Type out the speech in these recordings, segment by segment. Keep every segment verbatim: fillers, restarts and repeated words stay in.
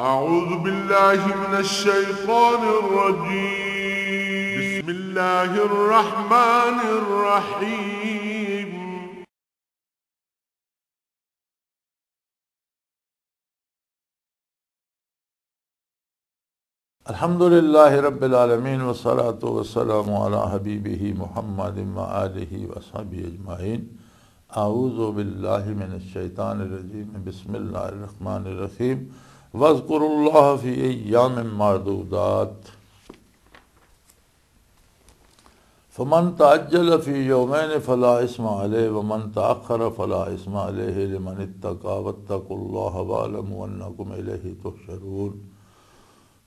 أعوذ بالله من الشيطان الرجيم. بسم الله الرحمن الرحيم. الحمد لله رب العالمين، والصلاة والسلام على حبيبه محمد وآله وصحبه أجمعين. أعوذ بالله من الشيطان الرجيم. بسم الله الرحمن الرحيم. واذكروا الله في أيام معدودات. فمن تعجل في يومين فلا إثم عليه ومن تأخر فلا إثم عليه لمن اتقى واتقوا الله واعلموا أنكم إليه تحشرون.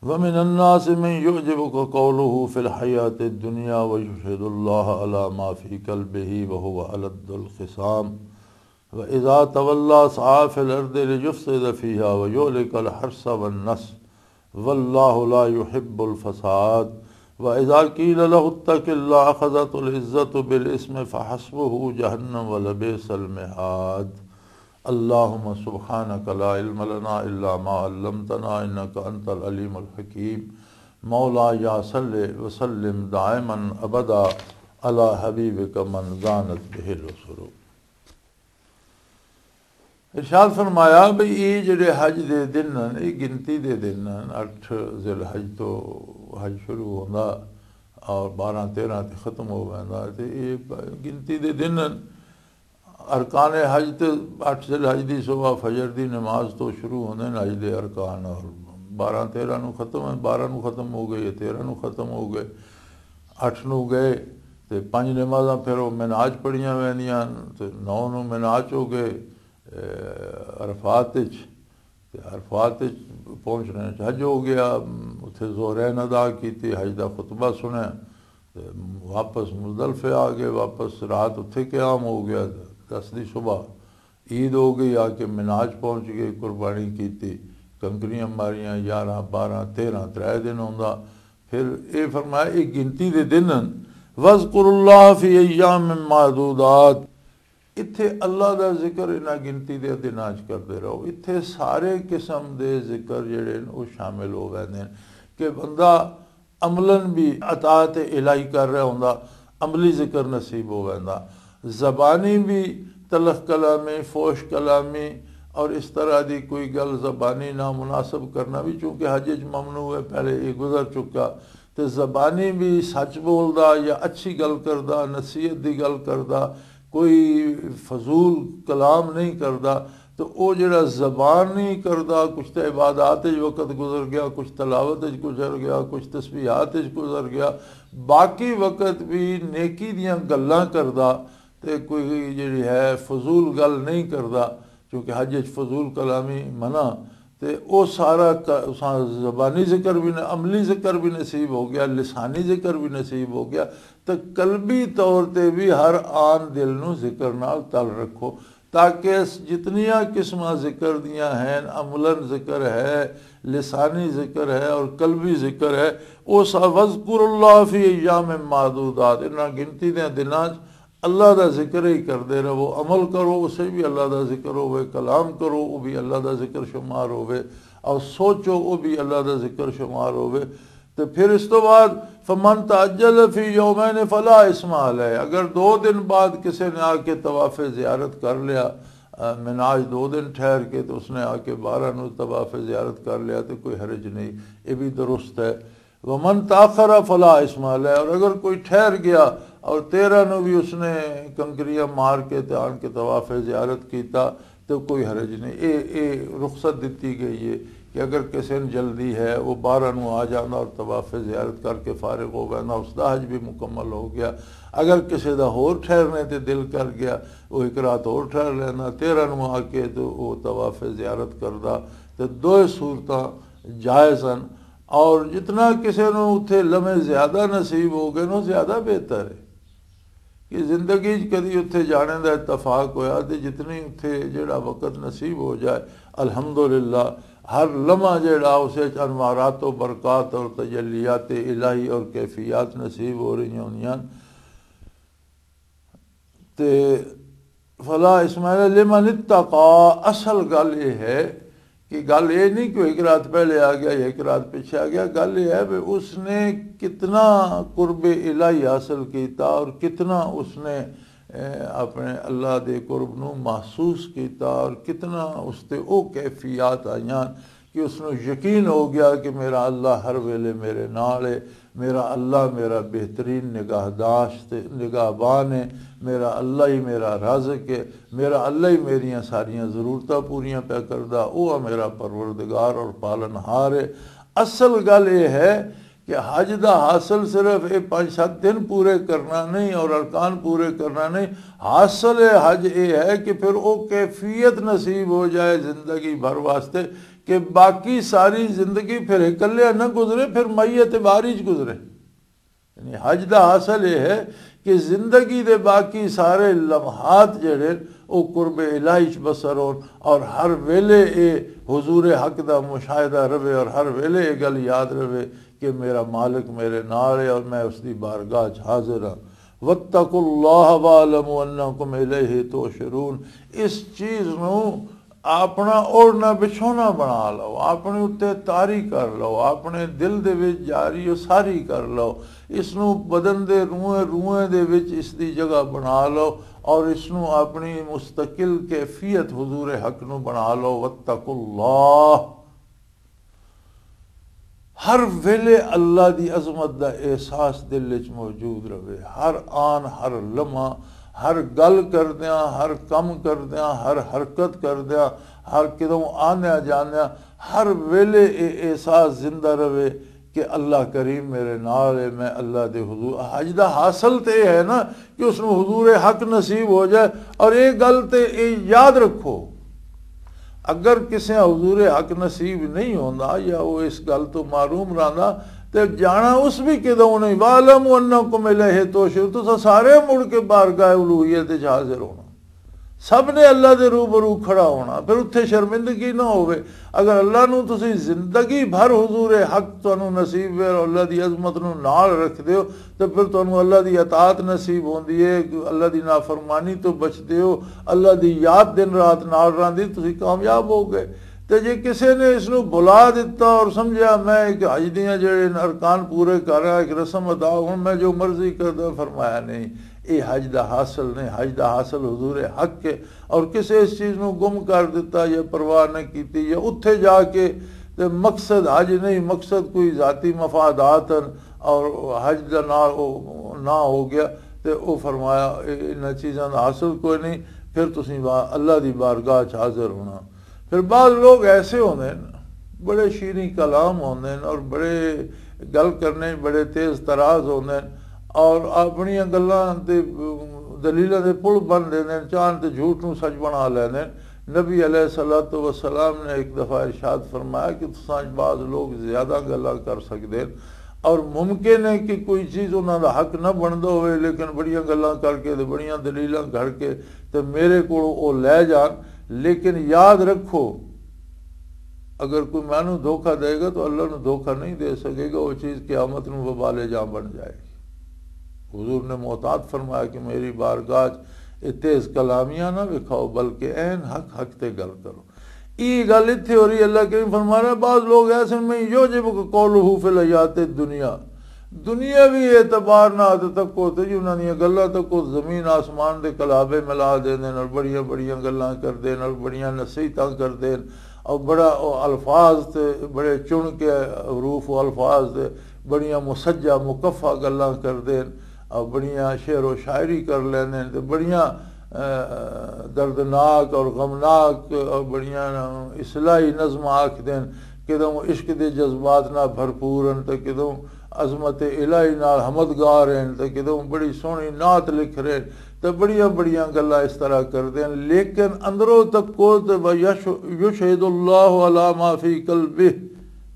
ومن الناس من يعجبك قوله في الحياة الدنيا ويشهد الله على ما في قلبه وهو ألد الخصام. وإذا تولى سعى في الأرض ليفسد فيها ويهلك الحرث والنسل والله لا يحب الفساد. وإذا قيل له اتق الله أخذته العزة بالإثم فحسبه جهنم ولبئس المهاد. اللهم سبحانك لا علم لنا إلا ما علمتنا إنك أنت العليم الحكيم. مولاي صل وسلم دائما أبدا على حبيبك من زانت به الوصول. ارشاد فرمایا بھئی، یہ جڑے حج دے دن ہن، یہ گنتی دے دن ہن۔ اٹھ ذی الحج تو حج شروع ہوندا اور بارہ تیرہ تے ختم ہو ویندا، تے یہ گنتی دے دن ہن۔ ارکان حج تے اٹھ ذی الحج دی صبح فجر دی نماز تو شروع ہوندے نے حج دے ارکان، اور بارہ تیرہ نو ختم ہے، بارہ نو ختم ہو گئے، تیرہ نو ختم ہو گئے، اٹھ نو گئے، تے پنج نمازاں پھر وہ مناج پڑھیاں ویندیاں، تے نو نو مناج ہو گئے، اے، عرفات وچ۔ تے عرفات وچ پہنچنے وچ حج ہو گیا، اتھے ظہرین ادا کیتی، حج دا خطبہ سنیا، تے واپس مزدلفے آ گئے، واپس رات اتھے قیام ہو گیا۔ دس دی صبح عید ہو گئی، آ کے مناج پہنچ گئے، قربانی کیتی، کنکریاں ماریاں، یارہ، بارہ، تیرہ، ترے دن ہوندا۔ پھر اے فرمایا، اے گنتی دے دن ہن۔ وَاذْكُرُوا اللَّهَ فِي أَيَّامٍ مَّعْدُودَاتٍ۔ اتھے اللہ دا ذکر انہاں گنتی دے دناں چ کردے رہو۔ اتھے سارے قسم دے ذکر جڑے نے، او شامل ہو ویندے نے کہ بندہ عملاً بھی اطاعت الہی کر رہا ہوندا، عملی ذکر نصیب ہو ویندا۔ زبانی بھی تلخ کلامی، فوش کلامی اور اس طرح دی کوئی گل زبانی نامناسب کرنا بھی، چونکہ حج وچ ممنوع ہے، پہلے یہ گزر چکا۔ تے زبانی بھی سچ بولدا یا اچھی گل کردا، نصیحت دی گل کردا، کوئی فضول کلام نہیں کردا۔ تو او جڑا زبانی کردا، کچھ تے عبادات وچ وقت گزر گیا، کچھ تلاوت وچ گزر گیا، کچھ تسبیحات وچ گزر گیا، باقی وقت بھی نیکی دیاں گلاں کردا، تے کوئی جڑی ہے فضول گل نہیں کردا، کیونکہ حج وچ فضول کلامی منع۔ تے او سارا ک-، اساں زبانی ذکر بھی نہ، عملی ذکر بھی نصیب ہو گیا، لسانی ذکر بھی نصیب ہو گیا۔ تے قلبی طور تے بھی ہر آن دل نو ذکر نال تل رکھو، تاکہ اس جتنیاں قسماں ذکر دیاں ہیں، عملاً ذکر ہے، لسانی ذکر ہے اور قلبی ذکر ہے، او سا، وَاذْكُرُوا اللَّهَ فِي أَيَّامٍ مَّعْدُودَاتٍ، انہاں گنتی دے دناں چ اللہ دا ذکر ہی کردے رہو، عمل کرو، اسے بھی اللہ دا ذکر ہوئے، کلام کرو، وہ بھی اللہ دا ذکر شمار ہوئے، اور سوچو، وہ بھی اللہ دا ذکر شمار ہوئے۔ تے پھر اس تو بعد، فَمَن تَعَجَّلَ فِي يَوْمَيْنِ فَلَا إِثْمَ عَلَيْهِ، اگر دو دن بعد کسے نے آ کے طواف زیارت کر لیا، آ، مناج دو دن ٹھہر کے، تو اس نے آ کے بارہ نو طواف زیارت کر لیا، تو کوئی حرج نہیں، یہ بھی درست ہے۔ وَمَن تَأَخَّرَ فَلَا إِثْمَ عَلَيْهِ، اور اگر کوئی ٹھہر گیا اور تیرہ نو بھی اس نے کنکریاں مار کے تے آن کے طواف زیارت کیتا، تو کوئی حرج نہیں۔ اے، اے رخصت دتی گئی ہے کہ اگر کسی نے جلدی ہے، وہ بارہ نو آ جانا اور طواف زیارت کر کے فارغ ہو گیا نا، اس دا حج بھی مکمل ہو گیا۔ اگر کسی دا ہور ٹھہرنے تے دل کر گیا، وہ ایک رات ہور ٹھہر لینا، تیرہ نو آ کے تو وہ طواف زیارت کردا۔ تے دوئے صورتاں جائز ہیں۔ اور جتنا کسے نوں اتھے لمحے زیادہ نصیب ہو گئے نوں، زیادہ بہتر ہے کہ زندگی چ کدی اتھے جانے دا اتفاق ہویا، تے جتنی اتھے جڑا وقت نصیب ہو جائے، الحمدللہ، ہر لمحہ جڑا اسے چ انوارات و برکات اور تجلیات الہی اور کیفیات نصیب ہو رہی ہوندیاں۔ تے فلا اسماعیل لمن اتقا، اصل گل یہ ہے کہ گل یہ نہیں کہ وہ ایک رات پہلے آ گیا یا ایک رات پیچھے آ گیا۔ گل یہ ہے کہ اس نے کتنا قرب الہی حاصل کیتا اور کتنا اس نے، اے، اپنے اللہ دے قرب نو محسوس کیتا اور کتنا اس تے او کیفیات آئیاں کہ اس نو یقین ہو گیا کہ میرا اللہ ہر ویلے میرے نال ہے، میرا اللہ میرا بہترین نگاہداشت، نگہبان ہے، میرا اللہ ہی میرا رازق ہے، میرا اللہ ہی میریاں ساریاں ضرورتاں پوریاں پیا کردا، او میرا پروردگار اور پالنہار ہے۔ اصل گل یہ ہے کہ حج دا حاصل صرف یہ پانچ سات دن پورے کرنا نہیں اور ارکان پورے کرنا نہیں، حاصل حج یہ ہے کہ پھر وہ کیفیت نصیب ہو جائے زندگی بھر واسطے، کہ باقی ساری زندگی پھر اکلیا نہ گزرے، پھر میت بارش گزرے۔ یعنی حج دا حاصل یہ ہے کہ زندگی دے باقی سارے لمحات جڑے او قرب الہی چ بسر ہون اور ہر ویلے اے حضور حق دا مشاہدہ رہے اور ہر ویلے اے گل یاد رہے کہ میرا مالک میرے نال ہے اور میں اس دی بارگاہ چ حاضر ہاں۔ واتقوا اللہ واعلموا انکم الیہ تحشرون۔ اس چیز نو اپنا اوڑھنا بچھونا بنا لو، اپنے اُتے طاری کر لو، اپنے دل دے وچ جاری و ساری کر لو۔ اس نو بدن دے روئیں روئیں دے وچ اس دی جگہ بنا لو اور اس نو اپنی مستقل کیفیت حضور حق نو بنا لو۔ واتقوا اللہ۔ ہر ویلے اللہ دی عظمت دا احساس دل وچ موجود رہے، ہر آن، ہر لمحہ، ہر گل کردیاں، ہر کم کردیاں، ہر حرکت کردیاں، ہر کدوں آندیاں جاندیاں، ہر ویلے اے احساس زندہ رہے کہ اللہ کریم میرے نال ہے، میں اللہ دے حضور۔ حج دا حاصل تے اے ہے نا کہ اس نوں حضور حق نصیب ہو جائے۔ اور یہ گل تے یہ یاد رکھو، اگر کسے حضور حق نصیب نہیں ہوندا یا وہ اس گل تو محروم رہندا، تے جانا اس بھی کدوں نہیں۔ وَاعْلَمُوا أَنَّكُمْ إِلَيْهِ تُحْشَرُونَ، تساں سارے مڑ کے بارگاہ الوہیت وچ حاضر ہونا، سب نے اللہ دے روبرو کھڑا ہونا، پھر اتھے شرمندگی نہ ہوے۔ اگر اللہ نو تسی زندگی بھر حضور حق تانوں نصیب وے اور اللہ دی عظمت نو نال رکھ دیو، تے پھر تانوں اللہ دی اطاعت نصیب ہوندی ہے، اللہ دی نافرمانی تو بچ دیو، اللہ دی یاد دن رات نال راندی، تسی کامیاب ہو گئے۔ تے جے کسے نے اس نو بھلا دتا اور سمجھیا میں ایک حج دیاں جڑے ارکان پورے کر رہا، ایک رسم ادا، ہن میں جو مرضی کردا، فرمایا نہیں، اے حج دا حاصل نہیں۔ حج دا حاصل حضور حق ہے۔ اور کسے اس چیز نو گم کر دتا یا پرواہ نہ کیتی یا اتھے جا کے تے مقصد حج نہیں، مقصد کوئی ذاتی مفادات ہیں اور حج دا نال او نہ ہو گیا، تے او فرمایا، "اے-، انہاں چیزاں دا حاصل کوئی نہیں، پھر تسی وا-، اللہ دی بارگاہ چ حاضر ہونا۔" پھر بعض لوگ ایسے ہوندے ہیں، بڑے شیریں کلام ہوندے ہیں اور بڑے گل کرنے بڑے تیز تراز ہوندے ہیں اور اپنیاں گلاں تے دلیلاں دے پل بن دیندے ہیں، چاہن تے جھوٹ نوں سچ بنا لیندے ہیں۔ نبی علیہ الصلوۃ والسلام نے ایک دفعہ ارشاد فرمایا کہ تساں وچ بعض لوگ زیادہ گلاں کر سکدے ہیں اور ممکن ہے کہ کوئی چیز انہاں دا حق نہ بندا ہوئے، لیکن بڑیاں گلاں کر کے تے بڑیاں دلیلاں گھڑ کے تے میرے کول او لے جان۔ لیکن یاد رکھو، اگر کوئی مینوں دھوکا دے گا تو اللہ نوں دھوکا نہیں دے سکے گا، وہ چیز قیامت نوں وبال جان بن جائے گی۔ حضور نے محتاط فرمایا کہ میری بارگاہ چ اے تیز کلامیاں نہ وکھاؤ، بلکہ عین حق حق تے گل کرو۔ یہ گل اتھے ہو رہی، اللہ کریم فرما رہا ہے، بعض لوگ ایسے میں یوجب قولہ فی الحیات الدنیا، دنیاوی اعتبار نال تے تکو تے جی انہاں دیاں گلاں تکو، زمین آسمان دے کلابے ملا دیندے نے اور بڑیاں بڑیاں گلاں کردے نے اور بڑیاں نصیحتاں کردے نے اور بڑا او الفاظ تے بڑے چن کے حروف و الفاظ تے بڑیاں مسجع مکفع گلاں کردے نے اور بڑیاں شعر و شاعری کر لیندے نے تے بڑیاں، اے، دردناک اور غمناک اور بڑیاں اصلاحی نظم آکھ دین، کدوں عشق دے جذبات نال بھرپور ہن تے کدوں عظمت الہی نال حمد گا رہے ہیں تے کدوں بڑی سوہنی نعت لکھ رہے ہیں تے بڑیاں بڑیاں گلاں اس طرح کردے ہیں، لیکن اندروں تک کو تے و یش-، یشہد اللہ علی ما فی قلبہ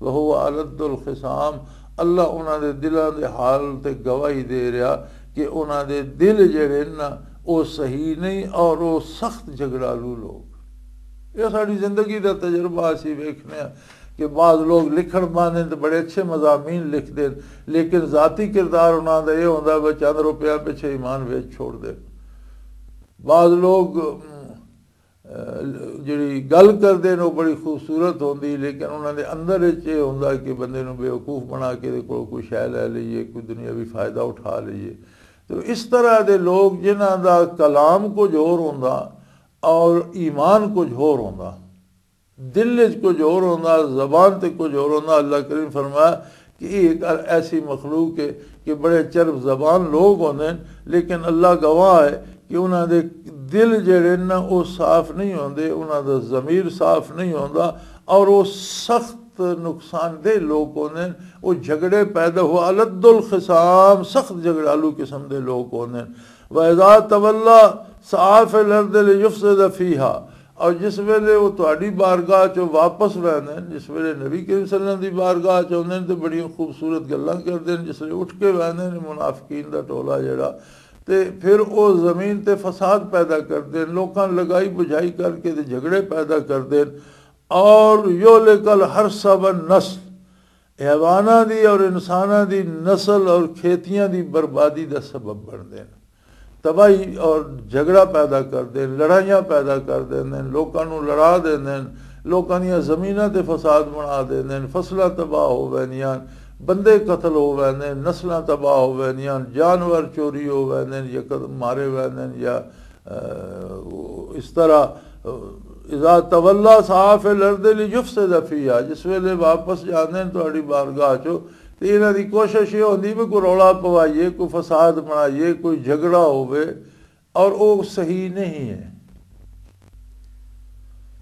وہو الد الخصام۔ اللہ انہاں دے دلاں دے حال تے گواہی دے رہا کہ انہاں دے دل جڑے نا، او صحیح نہیں اور او سخت جھگڑالو لوگ۔ یہ ساری زندگی دا تجربہ اسی ویکھنے ہاں کہ بعض لوگ لکھن باندھن تے بڑے اچھے مضامین لکھ دین، لیکن ذاتی کردار انہاں دا یہ ہوندا ہے چند روپیہ پچھے ایمان ویچ چھوڑ دے۔ بعض لوگ، ام، جڑی گل کردے نے، وہ بڑی خوبصورت ہوندی، لیکن انہاں دے اندر وچ یہ ہوندا کہ بندے نوں بیوقوف بنا کے دے کول کوئی شے لے لئیے، کوئی دنیاوی فائدہ اٹھا لئیے۔ تو اس طرح دے لوگ، جنہاں دا کلام کچھ ہور ہوندا اور ایمان کچھ ہور ہوندا، دل وچ کچھ ہور ہوندا، زبان تے کچھ ہور ہوندا، اللہ کریم فرمایا کہ یہ ایک ایسی مخلوق ہے کہ بڑے چرب زبان لوگ ہوندے نے، لیکن اللہ گواہ ہے کہ انہاں دے دل جڑے نا، وہ صاف نہیں ہوندے، انہاں دا ضمیر صاف نہیں ہوندا، اور وہ سخت نقصان دہ لوگ ہوندے نے۔ وہ جھگڑے پیدا ہوا، الد الخصام، سخت جھگڑالو قسم دے لوگ ہوندے نے۔ وَإِذَا تَوَلَّى سَعَىٰ فِي الْأَرْضِ لِيُفْسِدَ فِيهَا، اور جس ویلے وہ تہاڈی بارگاہ چوں واپس ویندے نے، جس ویلے نبی کریم صلی اللہ علیہ وسلم دی بارگاہ چ ہوندے نے تے بڑیاں خوبصورت گلاں کردے نے، جس ویلے اٹھ کے ویندے نے منافقین دا ٹولا جڑا، تے پھر او زمین تے فساد پیدا کردے نے، لوکاں لگائی بجھائی کر کے تے جھگڑے پیدا کردے نے۔ اور یُهْلِكُ الْحَرْثَ وَالنَّسْلَ، حیواناں دی اور انساناں دی نسل اور کھیتیاں دی بربادی دا سبب بندے نے۔ تباہی اور جھگڑا پیدا کردے نے، لڑائیاں پیدا کر دیندے نے، لوکاں نوں لڑا دیندے نے، لوکاں دیاں زمیناں تے فساد بنا دیندے نے، فصلاں تباہ ہو ویندیاں، بندے قتل ہو ویندے نے، نسلاں تباہ ہو ویندیاں، جانور چوری ہو ویندے نے، یا قد-، مارے ویندے نے، یا، اہ، اس طرح، اہ، اذا تولى سعى في الارض ليفسد فيها، جس ویلے واپس جاندے نے تہاڈی بارگاہ چوں، تے انہاں دی کوشش یہ ہوندی بھی کوئی رولا پوائیے، کوئی فساد بنائیے، کوئی جھگڑا ہووے، اور وہ صحیح نہیں ہے۔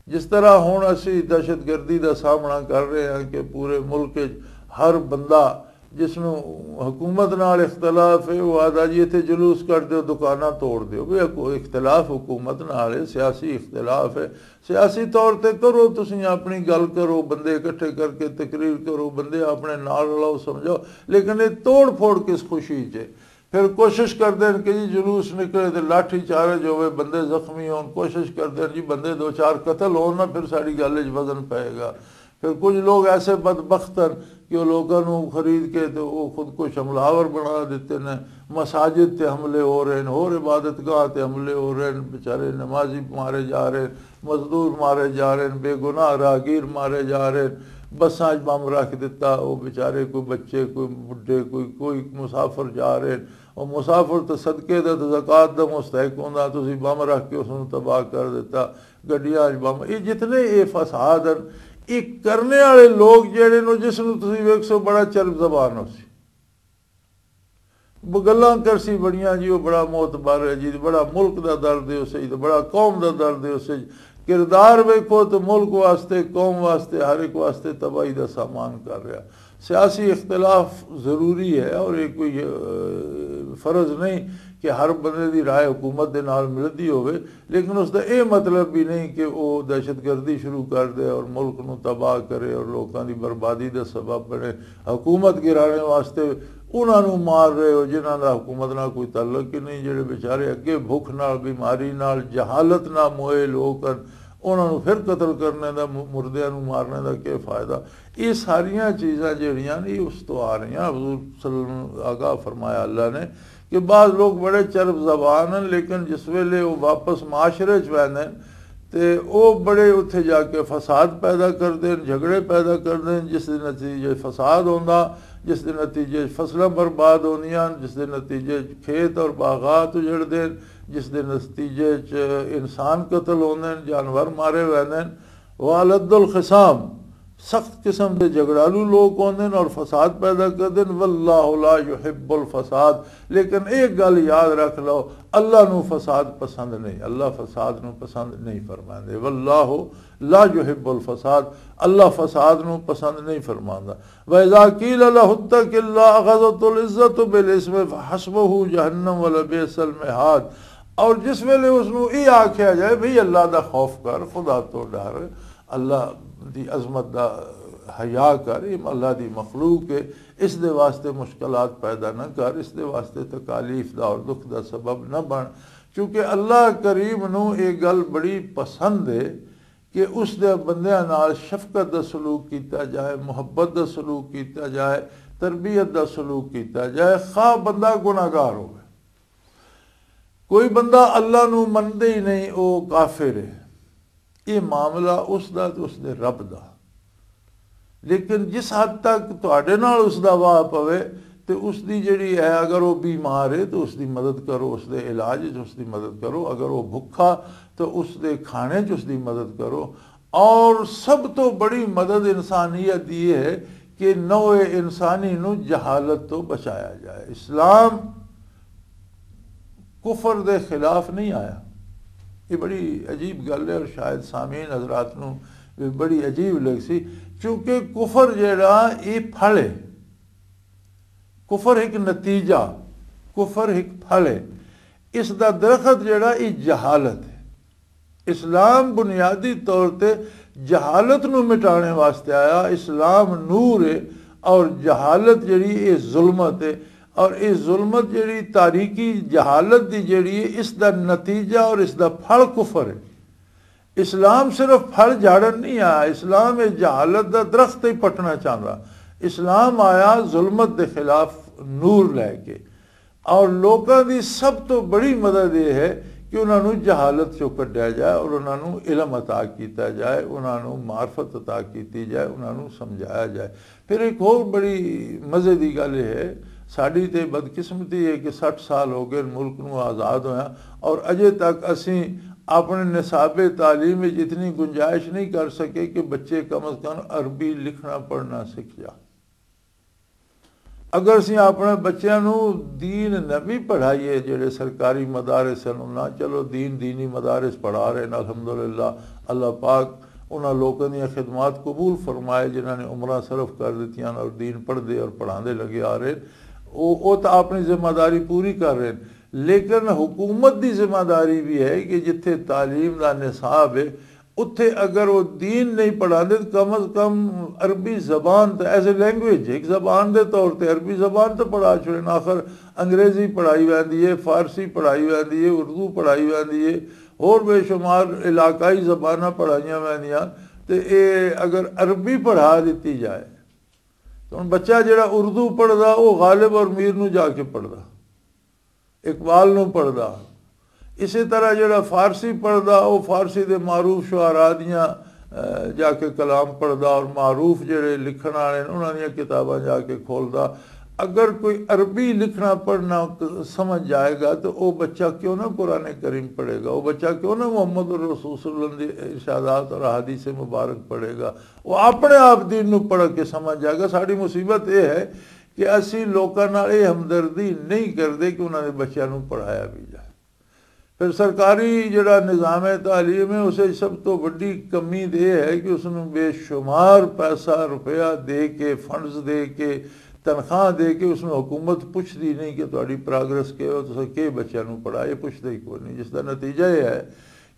جس طرح ہن اسی دہشت گردی دا سامنا کر رہے ہیں کہ پورے ملک وچ ہر بندہ جس نوں حکومت نال اختلاف ہے، وہ آہدا جی اتھے جلوس کر دیو، دکاناں توڑ دیو۔ بھی حکو-، اختلاف حکومت نال ہے، سیاسی اختلاف ہے، سیاسی طور تے کرو، تسی اپنی گل کرو، بندے اکٹھے کر کے تقریر کرو، بندے اپنے نال رلاؤ، سمجھاؤ، لیکن یہ توڑ پھوڑ کس خوشی چ ہے؟ پھر کوشش کردے ہیں کہ جی جلوس نکلے تے لاٹھی چارج ہوئے، بندے زخمی ہون، کوشش کردے ہیں جی بندے دو چار قتل ہون نا، پھر ساڈی گل وچ وزن پئے گا۔ پھر کچھ لوگ ایسے بدبخت ہیں کہ وہ لوگوں نوں خرید کے تے وہ خود کچھ حملہ آور بنا دیتے ہیں۔ مساجد تے حملے ہو رہے ہیں، ہور عبادت گاہ تے حملے ہو رہے ہیں، بیچارے نمازی مارے جا رہے ہیں، مزدور مارے جا رہے ہیں، بے گناہ راہگیر مارے جا رہے ہیں۔ بساں وچ بم رکھ دتا، وہ بیچارے کوئی بچے، کوئی بڈھے، کوئی، کوئی مسافر جا رہے ہیں۔ وہ مسافر تو صدقے دا تو زکوٰۃ دا مستحق ہوندا، تسی بم رکھ کے اس نوں تباہ کر دتا۔ گڈیاں وچ بم، یہ جتنے یہ فساد ہیں، یہ کرنے والے لوگ جڑے نو، جس نوں تسی ویکھ سو بڑا چرب زبان ہو سی، وہ گلاں کرسی بڑیاں جی، وہ بڑا معتبر ہے جی، بڑا ملک دا درد ہے اسے، بڑا قوم دا درد ہے اسے۔ کردار ویکھو تو ملک واسطے، قوم واسطے، ہر ایک واسطے تباہی دا سامان کر رہا۔ سیاسی اختلاف ضروری ہے اور یہ کوئی، اہ، فرض نہیں کہ ہر بندے دی رائے حکومت دے نال ملدی ہوئے، لیکن اس دا یہ مطلب بھی نہیں کہ وہ دہشت گردی شروع کر دے اور ملک نو تباہ کرے اور لوکاں دی بربادی دا سبب بنے۔ حکومت گرانے واسطے انہاں نوں مار رہے ہو جنہاں دا حکومت نال کوئی تعلق ہی نہیں، جڑے بیچارے اگے بھوک نال، بیماری نال، جہالت نال موئے لوگ ہن، انہاں نوں پھر قتل کرنے دا، م-، مردیاں نوں مارنے دا کیا فائدہ؟ یہ ساریاں چیزاں جڑیاں نے، یہ اس تو آ رہیاں۔ حضور صلی اللہ علیہ وسلم آگاہ فرمایا اللہ نے کہ بعض لوگ بڑے چرب زبان ہیں، لیکن جس ویلے وہ واپس معاشرے چ ویندے نے، تے او بڑے اتھے جا کے فساد پیدا کردے نے، جھگڑے پیدا کردے نے، جس دے نتیجے فساد ہوندا، جس دے نتیجے فصلاں برباد ہوندیاں، جس دے نتیجے کھیت اور باغات اجڑدے نے، جس دے نتیجے چ انسان قتل ہوندے نے، جانور مارے ویندے نے۔ وَأَلَدُّ الْخِصَامِ، سخت قسم دے جھگڑالو لوگ ہوندے نے اور فساد پیدا کردے نے۔ وَاللَّهُ لَا يُحِبُّ الْفَسَادَ، لیکن ایک گل یاد رکھ لو، اللہ نو فساد پسند نہیں، اللہ فساد نو پسند نہیں فرماندے۔ وَاللَّهُ لَا يُحِبُّ الْفَسَادَ، اللہ فساد نو پسند نہیں فرماندا۔ وَإِذَا قِيلَ لَهُ اتَّقِ اللَّهَ أَخَذَتْهُ الْعِزَّةُ بِالْإِثْمِ فَحَسْبُهُ جَهَنَّمُ وَلَبِئْسَ الْمِهَادُ۔ اور جس ویلے اس نوں یہ آکھیا جائے بھئی اللہ دا خوف کر، خدا تو ڈر، اللہ دی عظمت دا حیا کر، یہ اللہ دی مخلوق ہے، اس دے واسطے مشکلات پیدا نہ کر، اس دے واسطے تکالیف دا اور دکھ دا سبب نہ بن، کیونکہ اللہ کریم نوں یہ گل بڑی پسند ہے کہ اس دے بندیاں نال شفقت دا سلوک کیتا جائے، محبت دا سلوک کیتا جائے، تربیت دا سلوک کیتا جائے، خواہ بندہ گناہگار ہوئے۔ کوئی بندہ اللہ نو مندے ہی نہیں، او کافر ہے۔ یہ معاملہ اس دا تے اس دے رب دا۔ لیکن جس حد تک تہاڈے نال اس دا واہ پوے، تے اس دی جڑی ہے، اگر وہ بیمار ہے تو اس دی مدد کرو، اس دے علاج وچ اس دی مدد کرو، اگر وہ بھکھا تو اس دے کھانے چ اس دی مدد کرو۔ اور سب تو بڑی مدد انسانیت دی یہ ہے کہ نوع انسانی نو جہالت تو بچایا جائے۔ اسلام کفر دے خلاف نہیں آیا۔ یہ بڑی عجیب گل ہے اور شاید سامعین حضرات نو بھی بڑی عجیب لگ سی، کیونکہ کفر جڑا، یہ پھل ہے۔ کفر ایک نتیجہ، کفر ایک پھل ہے۔ اس دا درخت جڑا، یہ جہالت ہے۔ اسلام بنیادی طور تے جہالت نو مٹانے واسطے آیا۔ اسلام نور ہے اور جہالت جڑی، یہ ظلمت ہے۔ اور یہ ظلمت جڑی، تاریکی جہالت دی جڑی ہے، اس دا نتیجہ اور اس دا پھل کفر ہے۔ اسلام صرف پھل جھاڑن نہیں آیا، اسلام یہ جہالت دا درخت ہی پٹنا چاہتا۔ اسلام آیا ظلمت دے خلاف نور لے کے۔ اور لوکاں دی سب تو بڑی مدد یہ ہے کہ انہاں نوں جہالت چوں کڈیا جائے اور انہاں نوں علم عطا کیتا جائے، انہاں نوں معرفت عطا کیتی جائے، انہاں نوں سمجھایا جائے۔ پھر ایک اور بڑی مزے دی گل یہ ہے، ساڈی تے بدقسمتی ہے کہ سٹھ سال ہو گئے ملک نوں آزاد ہویا، اور اجے تک اسیں اپنے نصاب تعلیم وچ اتنی گنجائش نہیں کر سکے کہ بچے کم از کم عربی لکھنا پڑھنا سکھ جا۔ اگر اسی اپنے بچیاں نو دین نبی پڑھائیے، جڑے سرکاری مدارس ہیں انہاں، چلو دین دینی مدارس پڑھا رہے ہیں، الحمدللہ۔ اللہ پاک انہاں لوکاں دیاں خدمات قبول فرمائے جنہاں نے عمرہ صرف کر دتیاں اور دین پڑھ دے اور پڑھا دے لگے آ رہے ہیں۔ وہ وہ تو اپنی ذمہ داری پوری کر رہے ہیں، لیکن حکومت دی ذمہ داری بھی ہے کہ جتھے تعلیم دا نصاب ہے، اتھے اگر وہ دین نہیں پڑھاندے تو کم از کم عربی زبان تے ایز اے لینگویج، ایک زبان دے طور تے عربی زبان تے پڑھا چھوڑے نا۔ آخر انگریزی پڑھائی ویندی ہے، فارسی پڑھائی ویندی ہے، اردو پڑھائی ویندی ہے، اور بے شمار علاقائی زباناں پڑھائیاں ویندیاں۔ تے اے اگر عربی پڑھا دتی جائے تو ہن بچہ جڑا اردو پڑھدا، وہ غالب اور میر نو جا کے پڑھدا، اقبال نو پڑھدا۔ اسی طرح جڑا فارسی پڑھدا، وہ فارسی دے معروف شعراء دیاں، اے، جا کے کلام پڑھدا، اور معروف جڑے لکھن والے نے انہاں دیاں کتاباں جا کے کھولدا۔ اگر کوئی عربی لکھنا پڑھنا ک- سمجھ جائے گا تو وہ بچہ کیوں نہ قرآن کریم پڑھے گا؟ وہ بچہ کیوں نہ محمد الرسول صلی اللہ علیہ وسلم دے ارشادات اور احادیث مبارک پڑھے گا؟ وہ اپنے آپ دین نو پڑھ کے سمجھ جائے گا۔ ساری مصیبت یہ ہے کہ اسی لوکاں نال یہ ہمدردی نہیں کردے کہ انہاں دے بچیاں نوں پڑھایا بھی جائے۔ پھر سرکاری جڑا نظام تعلیم ہے، اسے سب تو بڑی کمی تے یہ ہے کہ اس نوں بے شمار پیسہ روپیہ دے کے، فنڈز دے کے، تنخواہ دے کے اس نوں حکومت پوچھدی نہیں کہ تہاڈی پروگرس کیا ہو، تساں کے بچیاں نوں پڑھایا، یہ پوچھدا ہی کوئی نہیں، جس دا نتیجہ یہ ہے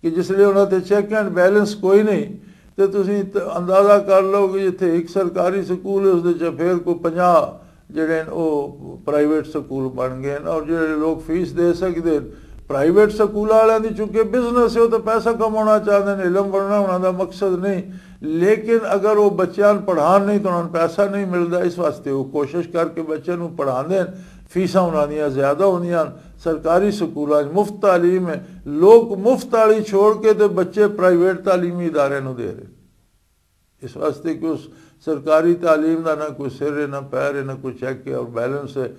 کہ جس لئے انہاں تے چیک اینڈ بیلنس کوئی نہیں۔ تے تسی ت- اندازہ کر لو کہ جتھے ایک سرکاری سکول ہے، اس دے چ پھر کوئی پنجاہ جڑے نے او پرائیویٹ سکول بن گئے نے، اور جڑے لوگ فیس دے سکدے نے، پرائیویٹ سکول والوں دی چونکہ بزنس ہے، وہ تو پیسہ کمانا چاہتے ہیں، علم بننا انہاں دا مقصد نہیں۔ لیکن اگر وہ بچیاں نوں پڑھان نہیں تو انہاں نوں پیسہ نہیں ملدا، اس واسطے وہ کوشش کر کے بچیاں نوں پڑھاندے نے۔ فیساں انہاں دیاں زیادہ ہوندیاں نے۔ سرکاری سکولاں وچ مفت تعلیم ہے، لوگ مفت والی چھوڑ کے تے بچے پرائیویٹ تعلیمی ادارے نوں دے رہے۔ اس واسطے کہ اس سرکاری تعلیم دا نہ کوئی سر ہے، نہ پیر ہے، نہ کوئی چیک ہے اور بیلنس ہے۔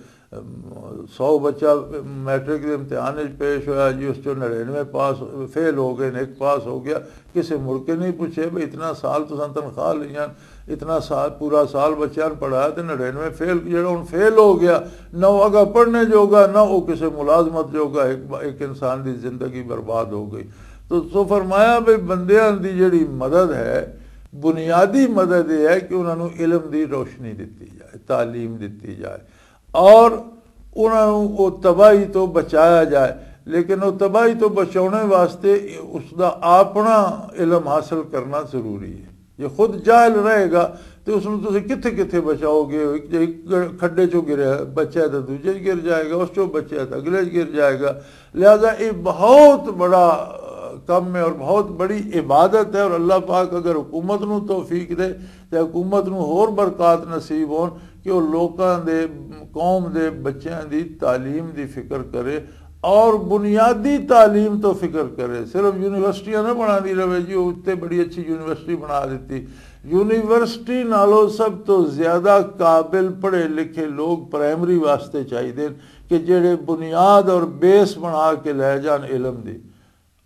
سو بچہ میٹرک دے امتحان وچ پیش ہویا جی، اس چوں نڑینوے پاس، فیل ہو گئے، ایک پاس ہو گیا۔ کسے مڑ کے نہیں پوچھے بھئی اتنا سال تساں تنخواہ لیاں، اتنا سال، پورا سال بچیاں نوں پڑھایا تے نڑینوے فیل، جڑا ہن فیل ہو گیا، نہ وہ اگا پڑھنے جوگا، نہ وہ کسے ملازمت جوگا۔ ایک، ایک انسان دی زندگی برباد ہو گئی۔ تو سو فرمایا بھئی بندیاں دی جڑی مدد ہے، بنیادی مدد یہ ہے کہ انہاں نوں علم دی روشنی دتی جائے، تعلیم دتی جائے، اور انہاں نوں او تباہی تو بچایا جائے۔ لیکن او تباہی تو بچاؤنے واسطے اس دا اپنا علم حاصل کرنا ضروری ہے۔ جے خود جاہل رہے گا تو اس نوں تسی کتھے کتھے بچاؤ گے؟ ایک، ایک کھڈے چوں گریا بچہ تو دوجے چ گر جائے گا، اس چوں بچہ تو اگلے چ گر جائے گا۔ لہذا یہ بہت بڑا کم ہے اور بہت بڑی عبادت ہے، اور اللہ پاک اگر حکومت نوں توفیق دے تو حکومت نوں ہور برکات نصیب ہون کہ وہ لوکاں دے، قوم دے بچیاں دی تعلیم دی فکر کرے۔ اور بنیادی تعلیم تو فکر کرے، صرف یونیورسٹیاں نہ بنا دی رہے جی، وہ اتنے بڑی اچھی یونیورسٹی بنا دیتی۔ یونیورسٹی نالوں سب تو زیادہ قابل پڑھے لکھے لوگ پرائمری واسطے چاہیے، کہ جڑے بنیاد اور بیس بنا کے لے جان علم دی۔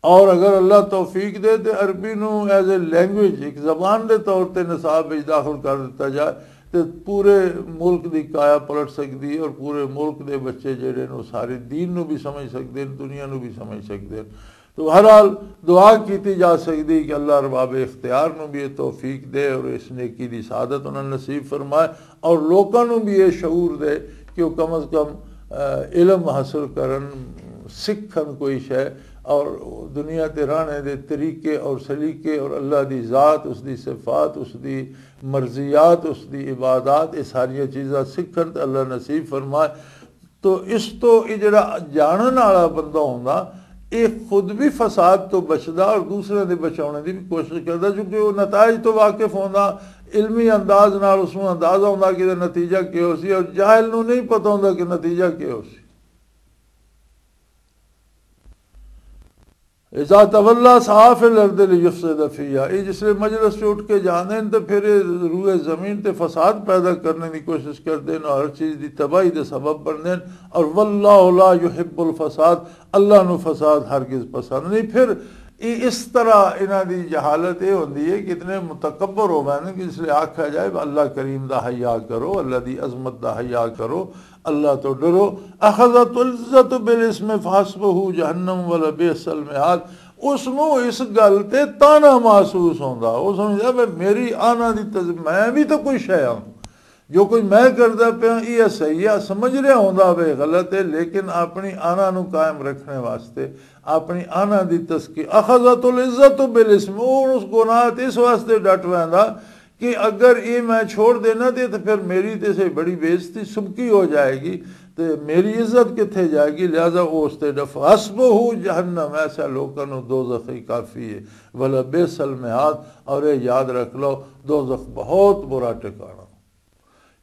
اور اگر اللہ توفیق دے تے عربی نو ایز اے لینگویج، ایک زبان دے طور تے نصاب وچ داخل کر دتا جائے، تے پورے ملک دی کایا پلٹ سکدی ہے اور پورے ملک دے بچے جڑے نو سارے دین نو بھی سمجھ سکدے ہیں، دنیا نو بھی سمجھ سکدے ہیں۔ تو بہرحال، دعا کیتی جا سکدی کہ اللہ ارباب اختیار نو بھی یہ توفیق دے اور اس نیکی دی سعادت انہاں نصیب فرمائے، اور لوکاں نو بھی یہ شعور دے کہ وہ کم از کم، آ، علم حاصل کرن، سکھن کوئی شے، اور دنیا تے رہنے دے طریقے اور سلیقے اور اللہ دی ذات، اس دی صفات، اس دی مرضیات، اس دی عبادات، یہ ساریاں چیزاں سکھن تے اللہ نصیب فرمائے۔ تو اس تو یہ جڑا جانن والا بندہ ہوندا، یہ خود بھی فساد تو بچدا اور دوسرے دے بچاؤنے دی بھی کوشش کردا، کیونکہ وہ نتائج تو واقف ہوندا، علمی انداز نال اس نوں اندازہ ہوندا کہ نتیجہ کی ہو سی، اور جاہل نوں نہیں پتہ ہوندا کہ نتیجہ کی ہو سی۔ اذا تولى سعى في الارض ليفسد فيها، یہ جس لئے مجلس سے اٹھ کے جاندے ہیں تو پھر یہ روئے زمین تے فساد پیدا کرنے کی کوشش کردے ہیں اور ہر چیز دی تباہی دے سبب بندے ہیں۔ اور واللہ لا يحب الفساد، اللہ نو فساد ہرگز پسند نہیں۔ پھر یہ اس طرح انہاں دی جہالت یہ ہوندی ہے کہ اتنے متکبر ہو گئے ہیں کہ اس لئے آکھا جائے، "اللہ کریم دا حیا کرو، اللہ دی عظمت دا حیا کرو، اللہ تو ڈرو۔" اخذت العزت بالاسم فحسبه جہنم ولبئس المہاد۔ اس نو اس گل تے تانا محسوس ہوندا، وہ سمجھدا، "میں، میری آنا دی تز-، میں بھی تو کوئی شے ہاں۔" جو کچھ میں کردا پیا، یہ صحیح ہے، سمجھ رہا ہوندا وے غلط ہے، لیکن اپنی آنا نو قائم رکھنے واسطے، اپنی آنا دی تزکی، اخذت العزت بالاسم، وہ اس گناہ تے اس واسطے ڈٹ ویندا کہ اگر یہ میں چھوڑ دینا تے، تے پھر میری تے سے بڑی بے عزتی سبکی ہو جائے گی، تے میری عزت کتھے جائے گی، لہذا وہ اس تے ڈف-، حسبہ جہنم، ایسا لوکاں نو دوزخ ہی کافی ہے، ولبئس المہاد، اور یہ یاد رکھ لو، دوزخ بہت برا ٹھکانہ۔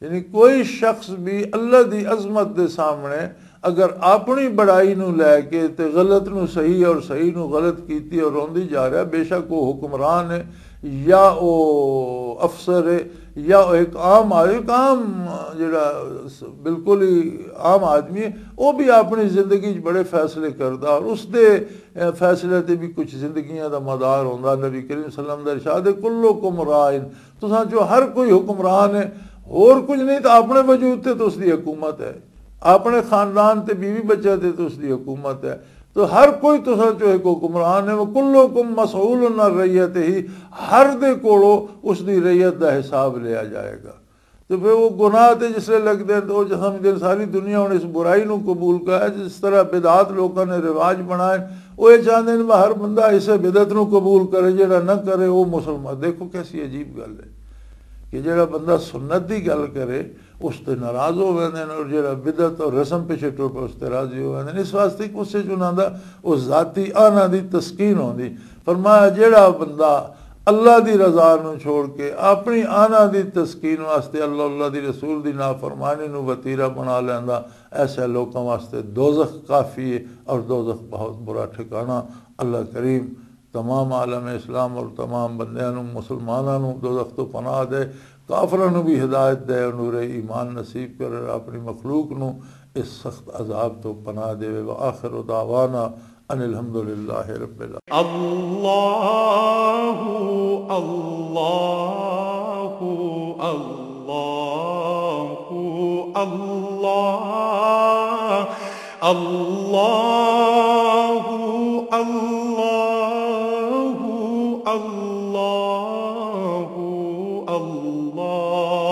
یعنی کوئی شخص بھی اللہ دی عظمت دے سامنے اگر اپنی بڑائی نو لے کے تے غلط نو صحیح اور صحیح نو غلط کیتی اور روندی جا رہا، بے شک وہ حکمران ہے یا وہ افسر ہے یا وہ ایک عام آدمی، ایک عام جڑا س-، بالکل ہی عام آدمی ہے، وہ بھی اپنی زندگی چ بڑے فیصلے کردا اور اس دے، اے، فیصلے تے بھی کچھ زندگیاں دا مدار ہوندا۔ نبی کریم صلی اللہ علیہ وسلم دا ارشاد ہے، "کلکم راعٍ"، تساں چوں ہر کوئی حکمران ہے، ہور کچھ نہیں تو اپنے وجود تے تو اس دی حکومت ہے، اپنے خاندان تے بیوی بچے تے تو اس دی حکومت ہے۔ تو ہر کوئی تساں چوں ایک حکمران ہے، وَكُلُّكُمْ مَسْئُولٌ عَن رَّعِيَّتِهِ، ہر دے کولوں اس دی رعیت دا حساب لیا جائے گا۔ تو پھر وہ گناہ تے جس لے لگدے ہیں تو وہ سمجھدے ہیں ساری دنیا ہن اس برائی نو قبول کر، جس طرح بدعات لوکاں نے رواج بنائے، وہ یہ چاہندے ہیں کہ ہر بندہ اسے بدعت نو قبول کرے، جڑا نہ کرے وہ مسلمان۔ دیکھو کیسی عجیب گل ہے کہ جڑا بندہ سنت دی گل کرے، اس تے ناراض ہو ویندے نے، اور جڑا بدعت اور رسم پیچھے ٹر پے، اس تے راضی ہو ویندے نے۔ اس واسطے کہ اس وچ انہاں دا اس ذاتی آنا دی تسکین ہوندی۔ فرمایا، جڑا بندہ اللہ دی رضا نو چھوڑ کے اپنی آنا دی تسکین واسطے اللہ، اللہ دی رسول دی نافرمانی نو وتیرہ بنا لیندا، ایسے لوکاں واسطے دوزخ کافی ہے، اور دوزخ بہت برا ٹھکانہ۔ اللہ کریم تمام عالم اسلام اور تمام بندیاں نو، مسلماناں نو دوزخ تو پناہ دے، کافراں نو بھی ہدایت دے اور نور ایمان نصیب کرے، اپنی مخلوق نو اس سخت عذاب تو پناہ دے۔ وآخر دعوانا ان الحمد للہ رب العالمین۔ اللہ، اللہ، اللہ، اللہ، اللہ، اللہ، اللہ، اللہ۔